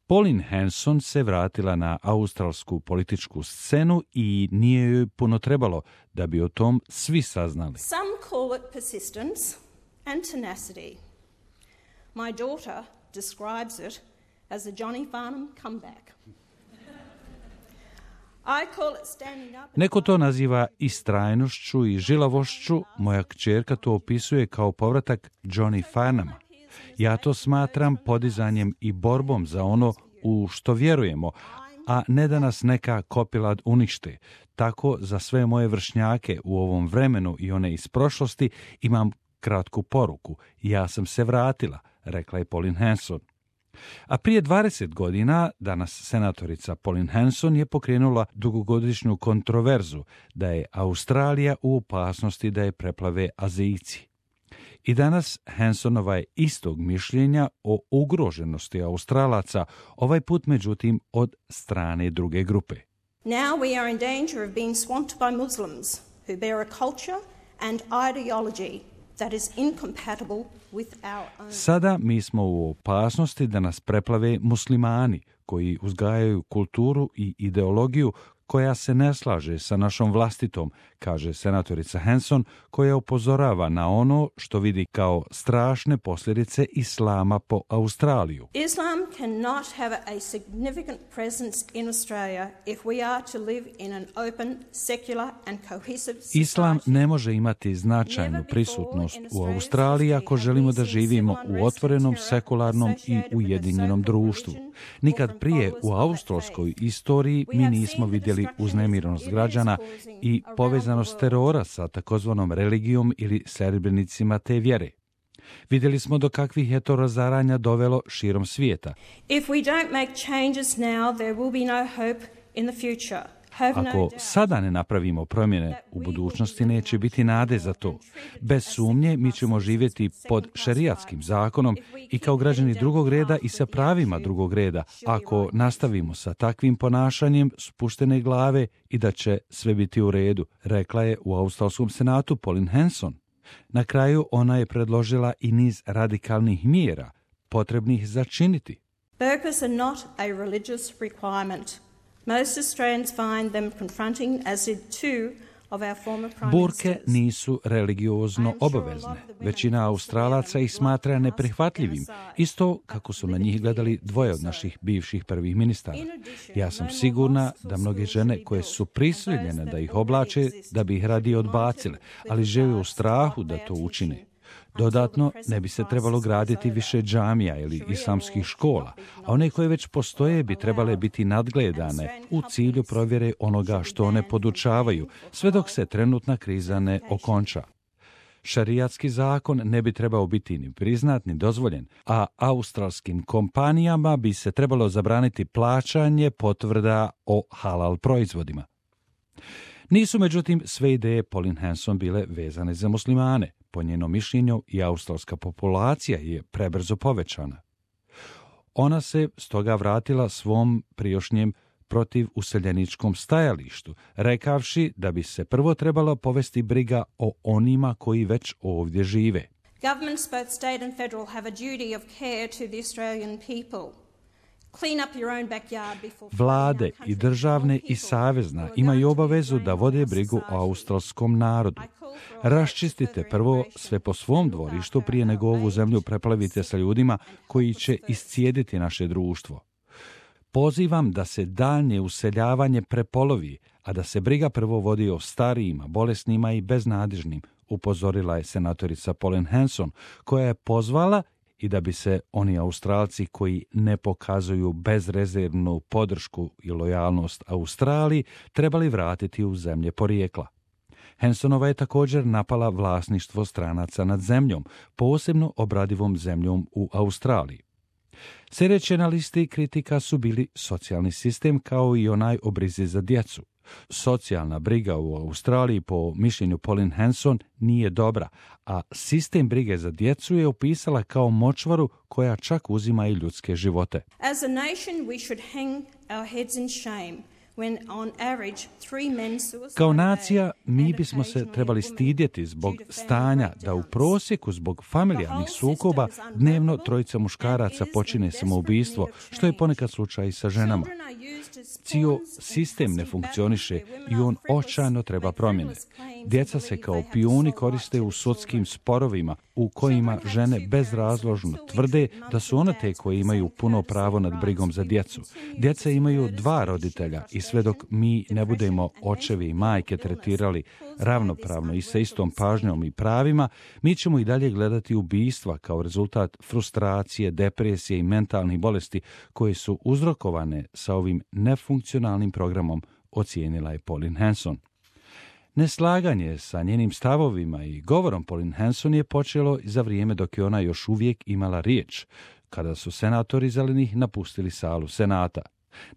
Pauline Hanson se vratila na australsku političku scenu i nije joj puno trebalo da bi o tom svi saznali. Some call it persistence and tenacity. My daughter describes it as a Johnny Farnham comeback. Neko to naziva istrajnošću i žilavošću, moja kćerka to opisuje kao povratak Johnny Farnhama. Ja to smatram podizanjem i borbom za ono u što vjerujemo, a ne da nas neka kopilad unište. Tako za sve moje vršnjake u ovom vremenu i one iz prošlosti imam kratku poruku. Ja sam se vratila, rekla je Pauline Hanson. A prije 20 godina, danas senatorica Pauline Hanson je pokrenula dugogodišnju kontroverzu da je Australija u opasnosti da je preplave Azijci. I danas Hansonova je istog mišljenja o ugroženosti Australaca, ovaj put međutim od strane druge grupe. Now we are in danger of being swamped by Muslims who bear a culture and ideology that is incompatible with our own. Sada mi smo u opasnosti da nas preplave muslimani koji uzgajaju kulturu i ideologiju koja se ne slaže sa našom vlastitom, kaže senatorica Hanson, koja upozorava na ono što vidi kao strašne posljedice islama po Australiju. Islam cannot have a significant presence in Australia if we are to live in an open, secular and cohesive society. Islam ne može imati značajnu prisutnost u Australiji ako želimo da živimo u otvorenom, sekularnom i ujedinjenom društvu. Nikad prije u australskoj istoriji mi nismo vidjeli uznemirenost građana i povezanost terora sa takozvanom religijom ili sljedbenicima te vjere. Vidjeli smo do kakvih je to razaranja dovelo širom svijeta. If we don't make changes now, there will be no hope in the future. Ako sada ne napravimo promjene, u budućnosti neće biti nade za to. Bez sumnje mi ćemo živjeti pod šerijatskim zakonom i kao građani drugog reda i sa pravima drugog reda, ako nastavimo sa takvim ponašanjem spuštene glave i da će sve biti u redu, rekla je u Australskom senatu Pauline Hanson. Na kraju ona je predložila i niz radikalnih mjera, potrebnih za činiti. Burqas are not a religious requirement. Most Australians find them confronting, as did two of our former prime Burke ministers. nisu religiozno obavezne. Većina Australaca ih smatra neprihvatljivim, isto kako su na njih gledali dvoje od naših bivših prvih ministara. Ja sam sigurna da mnoge žene koje su prisiljene da ih oblače, da bi ih radije odbacile, ali žive u strahu da to učine. Dodatno, ne bi se trebalo graditi više džamija ili islamskih škola, a one koje već postoje bi trebale biti nadgledane u cilju provjere onoga što one podučavaju, sve dok se trenutna kriza ne okonča. Šarijatski zakon ne bi trebao biti ni priznat ni dozvoljen, a australskim kompanijama bi se trebalo zabraniti plaćanje potvrda o halal proizvodima. Nisu, međutim, sve ideje Pauline Hanson bile vezane za muslimane. Po njenom mišljenju i australska populacija je prebrzo povećana. Ona se stoga vratila svom prijašnjem protiv useljeničkom stajalištu, rekavši da bi se prvo trebalo povesti briga o onima koji već ovdje žive. Governments, both state and federal, have a duty of care to the Australian people. Vlade i državne i savezna imaju obavezu da vode brigu o australskom narodu. Raščistite prvo sve po svom dvorištu prije nego ovu zemlju preplavite sa ljudima koji će iscijediti naše društvo. Pozivam da se daljnje useljavanje prepolovi, a da se briga prvo vodi o starijima, bolesnima i beznadježnim, upozorila je senatorica Pauline Hanson, koja je pozvala i da bi se oni Australci koji ne pokazuju bezrezervnu podršku i lojalnost Australiji trebali vratiti u zemlje porijekla. Hansonova je također napala vlasništvo stranaca nad zemljom, posebno obradivom zemljom u Australiji. Sljedeće na listi kritika su bili socijalni sistem kao i onaj o brizi za djecu. Socijalna briga u Australiji, po mišljenju Pauline Hanson, nije dobra, a sistem brige za djecu je opisala kao močvaru koja čak uzima i ljudske živote. As a nation we should hang our heads in shame Kao nacija, mi bismo se trebali stidjeti zbog stanja da u prosjeku zbog familijarnih sukoba dnevno trojica muškaraca počine samoubistvo, što je ponekad slučaj i sa ženama. Cijel sistem ne funkcioniše i on očajno treba promjene. Djeca se kao pijuni koriste u sudskim sporovima u kojima žene bezrazložno tvrde da su one te koje imaju puno pravo nad brigom za djecu. Djeca imaju 2 roditelja i sve dok mi ne budemo očevi i majke tretirali ravnopravno i sa istom pažnjom i pravima, mi ćemo i dalje gledati ubistva kao rezultat frustracije, depresije i mentalnih bolesti koje su uzrokovane sa ovim nefunkcionalnim programom, ocijenila je Pauline Hanson. Neslaganje sa njenim stavovima i govorom Pauline Hanson je počelo za vrijeme dok je ona još uvijek imala riječ, kada su senatori zelenih napustili salu senata.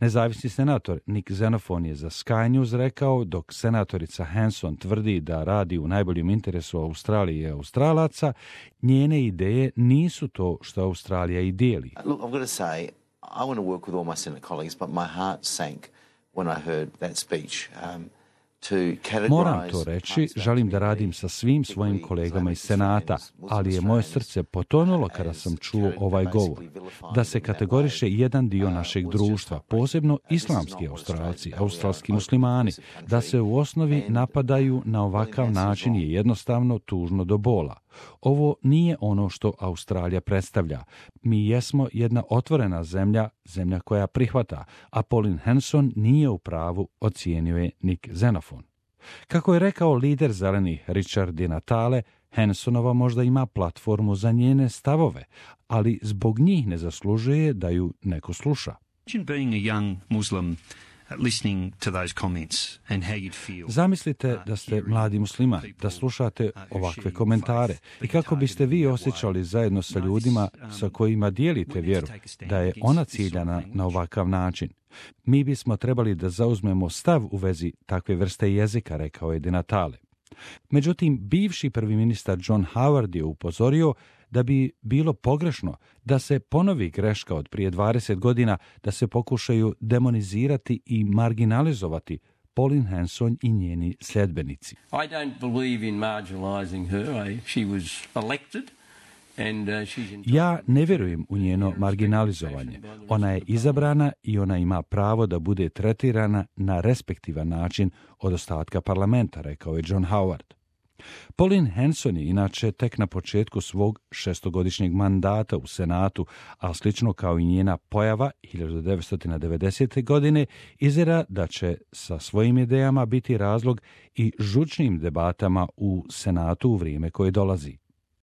Nezavisni senator Nick Xenophon je za Sky News rekao, dok senatorica Hanson tvrdi da radi u najboljem interesu Australije i Australaca, njene ideje nisu to što Australija i dijeli. Look, I've got to say, I want to work with all my Senate colleagues, but my heart sank when I heard that speech. Moram to reći, želim da radim sa svim svojim kolegama iz Senata, ali je moje srce potonulo kada sam čuo ovaj govor. Da se kategoriše jedan dio našeg društva, posebno islamski Australci, australski muslimani, da se u osnovi napadaju na ovakav način je jednostavno tužno do bola. Ovo nije ono što Australija predstavlja. Mi jesmo jedna otvorena zemlja, zemlja koja prihvata, a Pauline Hanson nije u pravu, ocijenio je Nick Xenophon. Kako je rekao lider zelenih Richard Di Natale, Hansonova možda ima platformu za njene stavove, ali zbog njih ne zaslužuje da ju neko sluša. Zamislite da ste mladi musliman, da slušate ovakve komentare i kako biste vi osjećali zajedno sa ljudima sa kojima dijelite vjeru, da je ona ciljana na ovakav način. Mi bismo trebali da zauzmemo stav u vezi takve vrste jezika, rekao je Di Natale. Međutim, bivši prvi ministar John Howard je upozorio da bi bilo pogrešno da se ponovi greška od prije 20 godina, da se pokušaju demonizirati i marginalizovati Pauline Hanson i njeni sljedbenici. I don't believe in marginalizing her. She was elected. Ja ne vjerujem u njeno marginalizovanje. Ona je izabrana i ona ima pravo da bude tretirana na respektivan način od ostatka parlamenta, rekao je John Howard. Pauline Hanson je inače tek na početku svog 6-godišnjeg mandata u Senatu, a slično kao i njena pojava 1990. godine, izgleda da će sa svojim idejama biti razlog i žučnim debatama u Senatu u vrijeme koje dolazi.